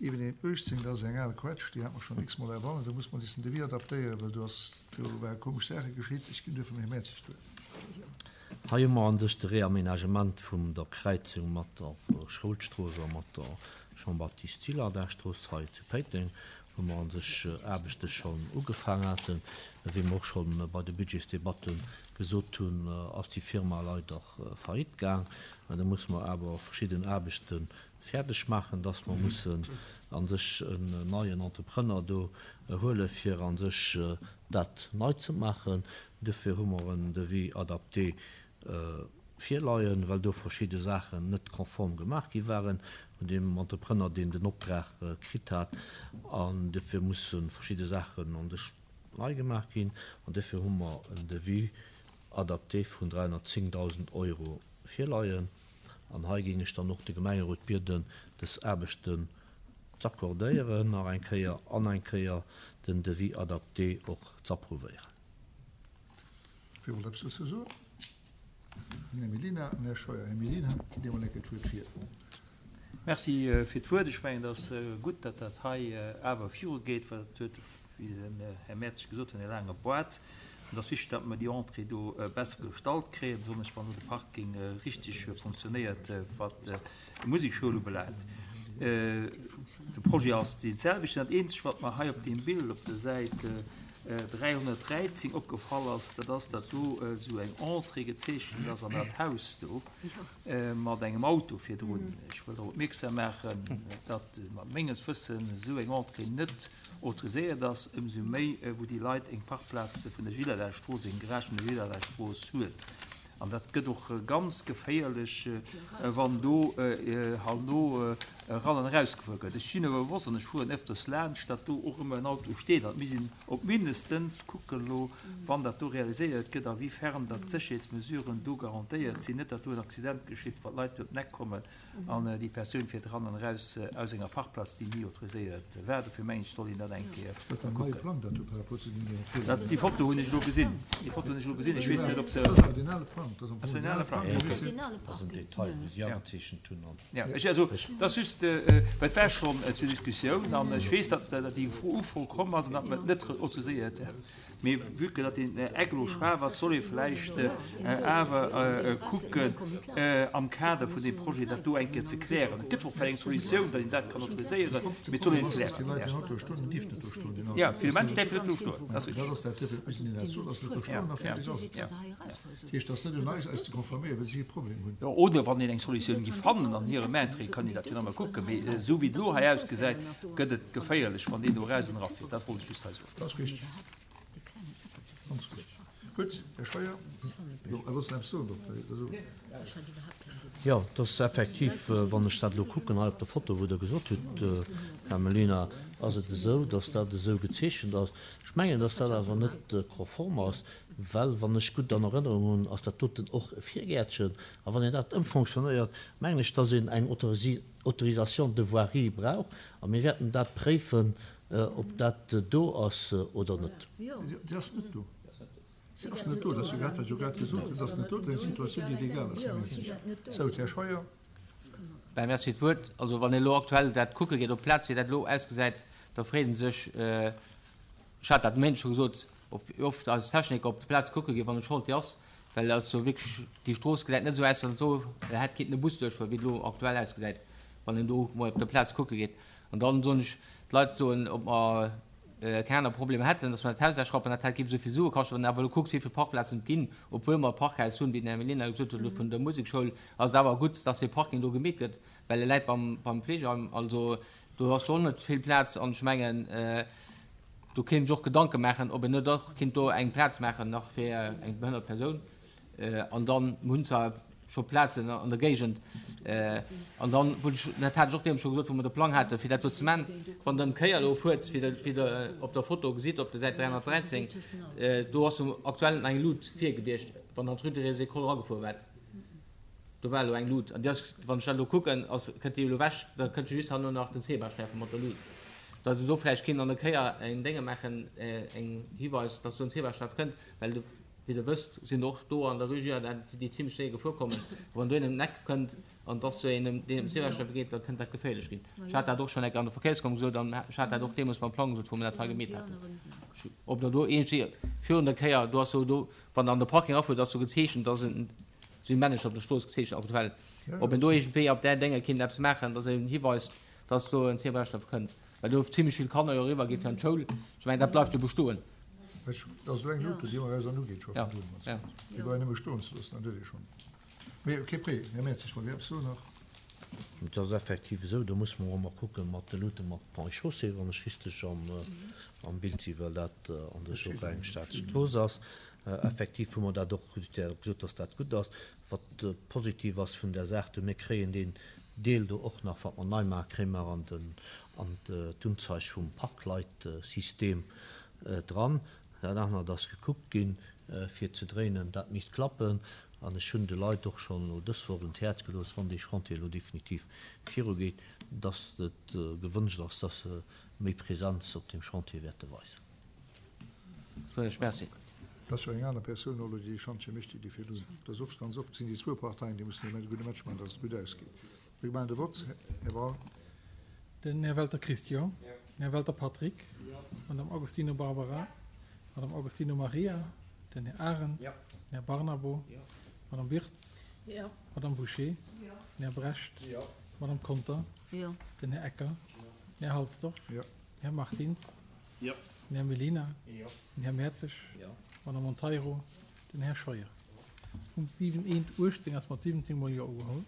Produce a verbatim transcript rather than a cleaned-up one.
Siwen eent uechtzéng, dat ass eng al Quetsch, déi hat mer schonn x-mol erwannen. Do muss mer dissen Devis adaptéieren, well do ass, do ware komesch Saache geschitt. Ech ginn duerfir dem Här Mertzig d'Wuert. Hei hu mer an sech de Réaménagement vum der Kräizung mat der Schoulstrooss a mat der Jean-Baptiste Gillardin-Strooss hei zu Péiteng, wou mer an sech Aarbechte schonn ugefaang haten. Wéi mer och scho bei de Budgetsdebatte gesot hunn, ass déi Firma leider faillite gaang. Da musse mer awer verschidden Aarbechte fäerdeg maachen, dass mer mussen a sech en neien Entrepreneur do huele fir a sech dat nei ze maachen. Duerfir hu mer en Devis adapté virleien, well do verschidde Saachen net konform gemaach gi waren vun deem Entrepreneur, deen den Optrag kritt hat. An duerfir musse verschidde Saachen an sech nei gemaach ginn. An duerfir hu mer en Devis adapté vun dräihunnertzéngdausend Euro virleien. An hei géing ech dann och de Gemengerot bieden, dës Aarbechten z'accordéieren nach eng Kéier an eng Kéier den Devis adapté och z'approuvéieren. Wie wollt eppes dozou soen? Den Här Mellina an den Här Scheuer. Här Mellina, gitt Dir emol eng Kéier d'Wuert vir. Merci fir d'Wuert. Ech mengen, et ass gutt, datt dat hei awer virugeet, well et huet, wéi den Här Mertzig gesot huet, e laange Boart. Et ass wichteg, datt mer déi Entrée do besser gestallt kréien, besonnesch wann do de Parking richteg funktionéiert, wat d'Musekschoul ubelaangt. De Projet ass dee selwechten. Dat Eenzegt, wat mer hei op deem Bild op der Säit dräihonnertdräizéng opgefall ass, dat ass, datt do esou eng Entrée gezeechent ass an dat Haus do mat engem Auto virdrun. Ech wëll drop opmierksam maachen, datt mat menges Wëssen esou eng Entrée net autoriséiert ass, ëmsou méi wou déi Leit eng Parkplaz vun der Gillerdahlstrooss, eng Garage vun der Gillerdahlstrooss huet. An dat gëtt och ganz geféierlech, wann do herno eran an erausgefuer gëtt. Ech sinn awer bewosst, an ech fueren ëfters laanscht, datt do och ëmmer en Auto steet. An et misst een op mindestens kucken elo, wann dat do realiséiert gëtt, a wéi fern datt d'Sécherheetsmesuren do garantéiert sinn, net datt do en Accident geschitt, wa Leit do op d'Neck kommen an déi Persoun fiert eran an eraus aus enger Parkplaz, déi ni autoriséiert war. Dofir mengen ech, soll een dat eng Kéier Ass dat en neie kucken. Plang, dat do par rapport zu deenen Virgänger? Dat, déi Foto hunn ech elo gesinn. Déi Foto hunn ech elo gesinn. Ech weess net, ob se. Dat ass awer deen ale Plang. Dat ass am Ass Fong deen ale Plang? Dat ass en Detail, wou si agezeechent hunn an. Ja, ech, also, dat ass just, well et war schonn zur Diskussioun an ech weess, datt déi Ufro komm ass an datt mer et net autoriséiert hätt. Mee vue que datt deen Eck elo schwaach ass, soll ee vläicht awer kucken, am Kader vun deem Projet dat do eng Kéier ze klären. Et gëtt och vläicht eng Solutioun, datt een dat kann autoriséieren, mee et soll een et klären. Jo, fir de Moment däerf en net do stoen, dat ass richteg. Jo, oder wann een eng Solutioun géif fannen an hirem Interêt, kann een dat jo nach emol kucken. Mee esou wéi et elo hei ausgesäit, gëtt et geféierlech, wann deen do eraus an erafiert. Dat wollt ech just hei soen. Ganz gutt. Gutt, Här Scheuer. Jo, a soss nach eppes soen, Dokter? Jo, et ass effektiv, wann ech dat elo kucken hei op der Foto, wou Der gesot hutt, Här Mellina, ass et esou, dass dat esou gezeechent ass. Ech mengen, dass dat awer net konform ass, well, wann ech gutt an Erënnerung hunn, ass dat doten och e Virgäertchen. A wann een dat ëmfonctionnéiert, mengen ech, dass een eng Autorisation de voirie brauch. A mir wäerten dat préifen, Ob dat do ass oder net. Se ass net do. Se ass net do. Dat ass jo grad, wat ech jo grad gesot hunn. Se ass net do. Dat ass eng Situatioun, déi legal ass, Här Minister. Sou, Här Scheuer. Ben, merci fir d'Wuert. Also, wann een elo aktuell dat kucke geet op d'Plaz, wéi dat elo ausgesäit, da freet ee sech, ech hat dat de Méindeg scho gesot, ob wéi oft eis Techniker op d'Plaz kucke ginn, wann et Chantier ass, well et ass jo wierklech, déi Strooss gesäit net esou aus, datt do hätt kinnten e Bus duerchfueren, wéi et elo aktuell ausgesäit, wann een do mol op der Plaz kucke geet. An dann soen ech, d'Leit soen, ob mer keng aner Problemer hätten, dass mer dat Haus ausschrappen, dat hätt géif esou vill Sue kaschten. Wann een awer elo kuckt, wéi vill Parkplazen et ginn, obwuel mer e Parkhaus hunn, wéi den Här Mellina gesot huet elo vun der Musekschoul, ass et awer gutt, dass dee Parking do gemeet gëtt, well e läit beim, beim Fleegeheim. Also do ass schonn net vill Plaz an ech mengen, do kéint een sech och Gedanke maachen, ob een net och kéint do eng Plaz maachen nach fir eng behënnert Persoun. An dann, mir hunn zwar scho Plazen an der Géigend, an dann wollt ech, dat hat ech och deemools scho gesot, wou mer de Plang haten, fir dat do ze man, wann Der ëm d'Kéier elo fuert, wéi Der, wéi Der op der Foto gesitt, op der Säit dräihonnertdräizéng, do ass jo aktuell nach eng Lut vir gewiescht, wann Der an d'Rue des Écoles eragefuer waart. Do war elo eng Lut, an déi ass, wann ech dat elo kucken, ass, kënnt déi elo ewech, da kënnt jo just herno nach den Zebrasträife mat der Lut. Datt een do vläicht kéint an der Kéier en Dénge maachen, eng Hiweis, datt do en Zebrasträif kënnt, well de. Wéi Der wësst, sinn och do an der Rue Girardin déi zimlech séier gefuer kommen. Wann do een ëm d'Eck kënnt an dass sou een ëm deen ëm d'Zebrasträife geet, da kënnt dat geféierlech ginn. Ech hat dat och schonn eng Kéier an der Verkéierskommissioun gesot an ech hat dat och deemools beim Plang gesot, wou mir dat hei gemeet haten. Ob der do iergendwéi virun der Kéier, do ass sou do, wann Der an de Parking erafuert, ass sou gezeechent, dass en, sinn Männecher op der Strooss gezeechent aktuell, ob een do iergendwéi op där Dénge kinnt eppes maachen, dass een hiweist, dass do en Zebrasträif kënnt, well do zimlech vill Kanner jo eriwwer gi fir an d'Schoul. Ech mengen, dat bleift jo bestoen. Ech, dat ass esou eng Luut, déi ëmmer eis an ugeet scho vun drun. Ja. Déi brauch een nëmme stoen ze loossen, dat huet ee schonn. Mee kee Pré, Här Mertzig, wollt Dir eppes soen nach? Et ass effektiv esou, do musse mer och emol kucke mat de Luute mat Ponts et Chaussées, wann ech richteg am Bild sinn, well dat an sech och eng Staatsstrooss ass. Effektiv hu mer dat och gesot, dass dat gutt ass. Wat positiv ass vun där Saach do, mir kréien deen Deel do och nach, wat mer nei maachen, kréie mer an den, an d'Unzeig vum Parkleitsystem dran. Dat anert ass gekuckt ginn, fir ze dréinen, dat misst klappen. An ech hunn de Leit och schonn elo dës Woch un d'Häerz gelooss, wann dee Chantier elo definitiv virugeet, dass et gewënscht ass, dass se méi Präsenz op deem Chantier wäerte weisen. Soen ech Merci. Et ass jo eng aner Persoun elo, déi dee Chantier mécht, déi déi virdrun. Et ass oft, ganz oft sinn déi zwou Parteien, déi mussen e gudde Match maachen, dass et gutt ausgeet. Mir maachen de Vott. Här Braun. Den Här Welter Christian. Den Här Welter Patrick. D'Madame Agostino Barbara. D'Madame Agostino Maria. Den Här Arendt. Den Här Barnabo. D'Madame Wirtz. D'Madame Bouché. Den Här Brecht. D'Madame Conter. Den Här Ecker. Den Här Halsdorf. Den Här Martins. Den Här Mellina. Den Här Mertzig. D'Madame Monteiro. Den Här Scheuer. Um siwen eent uechtzéng ass mat siwwenzéng Mol Jo ugeholl.